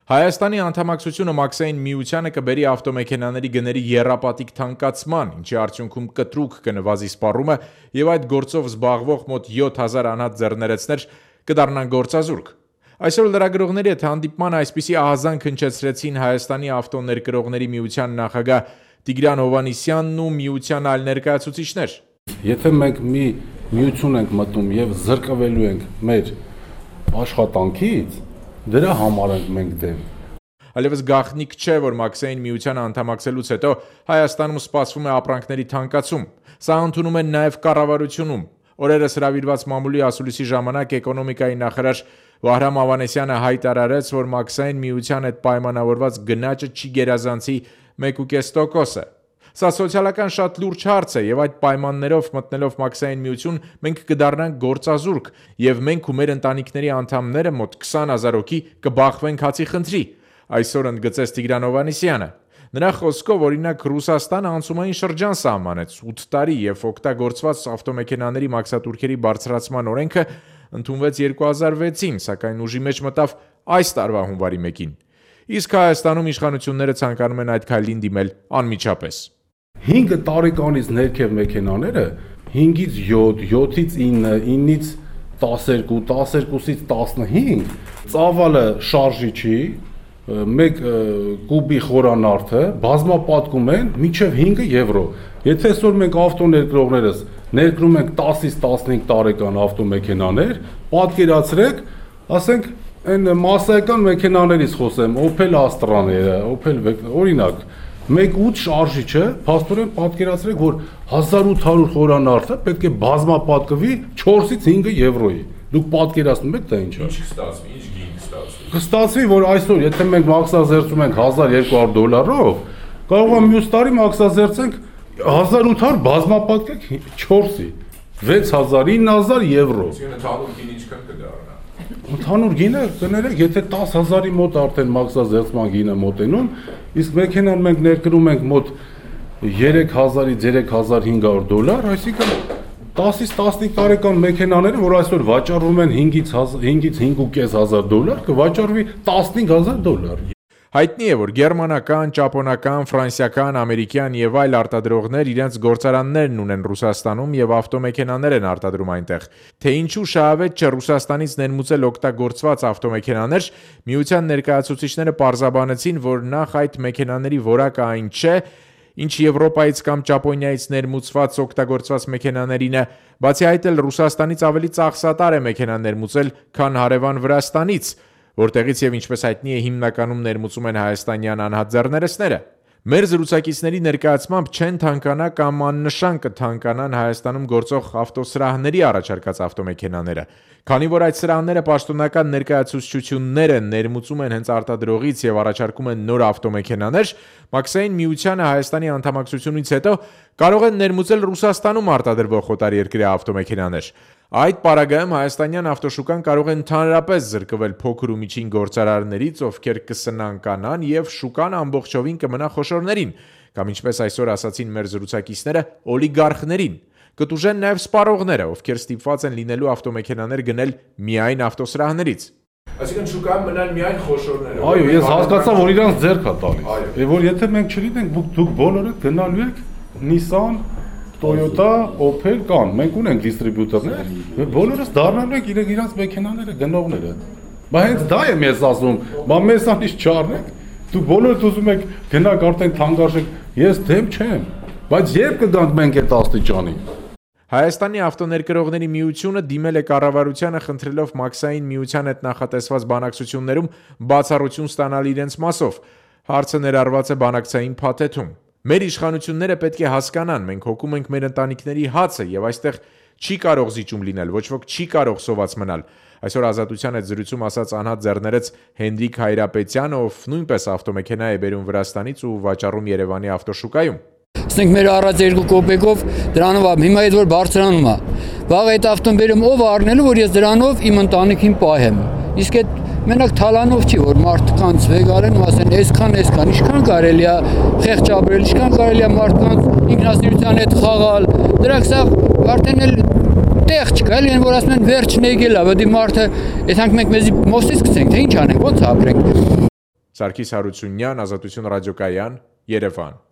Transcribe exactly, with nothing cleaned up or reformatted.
Հայաստանի անդամակցությունը մաքսային միությանը կբերի ավտոմեքենաների գների եռապատիկ թանկացման, ինչի արդյունքում կտրուկ կնվազի սպառումը եւ այդ գործով զբաղվող մոտ յոթ հազար անհատ ձեռներեցներ կդառնան գործազուրկ։ Այսօր լրագրողների հետ հանդիպման այսպիսի ահազանգ հնչեցրեցին Հայաստանի ավտոներկրողների միության նախագահ Տիգրան Հովհաննիսյանն ու միության այլ ներկայացուցիչներ։ Եթե մենք մի միություն ենք մտնում եւ զրկվելու ենք մեր աշխատանքից, դրա համար ենք մենք դեմ։ Այլևս գաղտնիք չէ, որ մաքսային միությանը անդամակցելուց հետո Հայաստանում սպասվում է ապրանքների թանկացում։ Սա ընդունում են նաև կառավարությունում։ Օրերս հրավիրված մամուլի ասուլիսի ժամանակ էկոնոմիկայի նախարար Վահրամ Ավանեսյանը հայտարարեց, որ մաքսային միության հետ պայմանավորված գնաճը չի գերազանցի մեկ ու կես տոկոսը։ Սա սոցիալական շատ լուրջ հարց է եւ այդ պայմաններով մտնելով մաքսային միություն մենք կդառնանք գործազուրկ եւ մենք ու մեր ընտանիքների անդամները մոտ քսան հազար հոգի կբախվենք հացի խնդրի, այսօր ընդգծեց Տիգրան Հովհաննիսյանը։ Նրա խոսքով օրինակ Ռուսաստանը անցումային շրջան սահմանեց ութ տարի եւ օգտագործված ավտոմեքենաների մաքսատուրքերի բարձրացման օրենքը ընդունվեց երկու հազար վեցին, սակայն ուժի մեջ մտավ այս տարվա հունվարի մեկին։ Իսկ Հայաստանում իշխանությունները ցանկանում են այդ քայլին դիմել անմիջապես։ հինգ տարեկանից ներքև մեքենաները հինգից յոթ, յոթից ինը, ինից տասներկու, տասներկուսից տասնհինգ ծավալը շարժի չի, մեկ կուբի խորանարդը բազմապատկում են մինչև հինգ եվրո։ Եթե այսօր մենք ավտոներկրողներս ներկրում ենք տասից տասնհինգ տարեկան ավտոմեքենաներ, պատկերացրեք, ասենք այն մասսայական մեքենաներից խոսեմ, Opel Astra-ները, Opel օրինակ մեկ ութ շարժիչը, փաստորեն պատկերացրեք, որ հազար ութ հարյուր խորանարդը պետք է բազմապատկվի չորսից հինգ եվրոյի։ Դուք պատկերացնում եք դա ինչ է։ Ինչ կստացվի, ինչ գին կստացվի։ Կստացվի, որ այսօր եթե մենք մաքսազերծում ենք հազար երկու հարյուր դոլարով, կարող է մյուս տարի մաքսազերծենք հազար ութ հարյուր բազմապատկեք չորսի, վեց հազար, ինը հազար եվրո։ Ընդհանուր գին ինչքան կդառնա։ Ընդհանուր գինը կներեք, եթե տասը հազարի մոտ արդեն մաքսազերծման գինը մոտենում, իսկ մեքենան մենք ներկրում ենք մոտ երեք հազարից երեք հազար հինգ հարյուր դոլար, այսինքն տասից տասնհինգ տարեկան մեքենաները, որ այսօր վաճառվում են հինգից հինգ ու կես հազար դոլար, կվաճառվի տասնհինգ հազար դոլար։ Հայտնի է, որ գերմանական, ճապոնական, ֆրանսիական, ամերիկյան եւ այլ արտադրողներ իրենց գործարաններն ունեն Ռուսաստանում եւ ավտոմեքենաներ են արտադրում այնտեղ։ Թե ինչու շահավետ չէ Ռուսաստանից ներմուծել օգտագործված ավտոմեքենաներ, միության ներկայացուցիչները պարզաբանեցին, որ նախ այդ մեքենաների որակը այն չէ, ինչ Եվրոպայից կամ Ճապոնիայից ներմուծված օգտագործված մեքենաներին է, բացի այդ էլ Ռուսաստանից ավելի ծախսատար է մեքենա ներմուծել, քան հարևան Վրաստանից, որտեղից եւ ինչպես հայտնի է հիմնականում ներմուծում են հայաստանյան անհատ ձեռներեցները։ Մեր զրուցակիցների ներկայացմամբ չեն թանկանա կամ աննշան կթանկանան Հայաստանում գործող ավտոսրահների առաջարկած ավտոմեքենաները, քանի որ այդ սրահները պաշտոնական ներկայացուցչություններ են, ներմուծում են հենց արտադրողից եւ առաջարկում են նոր ավտոմեքենաներ, մաքսային միությանը Հայաստանի անդամակցությունից հետո կարող են ներմուծել Ռուսաստանում արտադրվող օտարերկրյա ավտոմեքենաներ։ Այդ պարագայում հայաստանյան ավտոշուկան կարող է ընդհանրապես զրկվել փոքր ու միջին գործարարներից, ովքեր կսնանկանան եւ շուկան ամբողջովին կմնա խոշորներին, կամ ինչպես այսօր ասացին մեր զրուցակիցները, օլիգարխներին։ Կտուժեն նաեւ սպառողները, ովքեր ստիպված են լինելու ավտոմեքենաներ գնել միայն ավտոսրահներից։ Այսինքն շուկայում մնան միայն խոշորները։ Այո, ես հասկացա, որ իրանց ձեռք է տալիս։ Եվ որ եթե մենք չլինենք, դուք բոլորը գնալու եք Nissan, Toyota, Opel կան, մենք ունենք դիստրիբյուտորներ, եւ բոլորս դառնալու ենք իրենք իրանց մեքենաները գնողները։ Բայց հենց դա եմ ես ասում, բա մեզանից չառնեք, դուք բոլորդ ուզում եք գնաք արդեն թանկարժեք, ես դեմ չեմ, բայց երբ կգանք մենք այդ աստիճանի։ Հայաստանի ավտոներկրողների միությունը դիմել է կառավարությանը խնդրելով մաքսային միության հետ նախատեսված բանակցություններում բացառություն ստանալ իրենց մասով։ Հարցը ներառված է բանակցային փաթեթում։ Մեր իշխանությունները պետք է հասկանան, մենք հոգում ենք մեր ընտանիքների հացը եւ այստեղ չի կարող զիջում լինել, ոչ ոք չի կարող սոված մնալ։ Այսօր Ազատության հետ զրույցում ասաց անհատ ձեռներեց Հենրիկ Հայրապետյանը, ով նույնպես ավտոմեքենա է բերում Վրաստանից ու վաճառում Երևանի ավտոշուկայում։ Ասենք մեր առած երկու կոպեկով դրանով հիմա այդ որ բարձրանում է։ Վաղ այդ ավտոն բերում ով առնելու, որ ես դրանով իմ ընտանիքին պահեմ։ Իսկ այդ մենակ թալանով չի, որ մարդկանց վեգարեն ու ասեն, այսքան, այսքան, ինչքան կարելի է խեղճ ապրել, ինչքան կարելի է մարդկանց ինքնասիրության հետ խաղալ։ Դրանք սա արդեն էլ տեղ չկա, էլ որ ասում են վերջն եկել է, բայց մարդը, այդքան մենք մեզի մոստից գցենք, թե ինչ անենք, ոնց ապրենք։ Սարգիս Հարությունյան, Ազատություն ռադիոկայան, Երևան։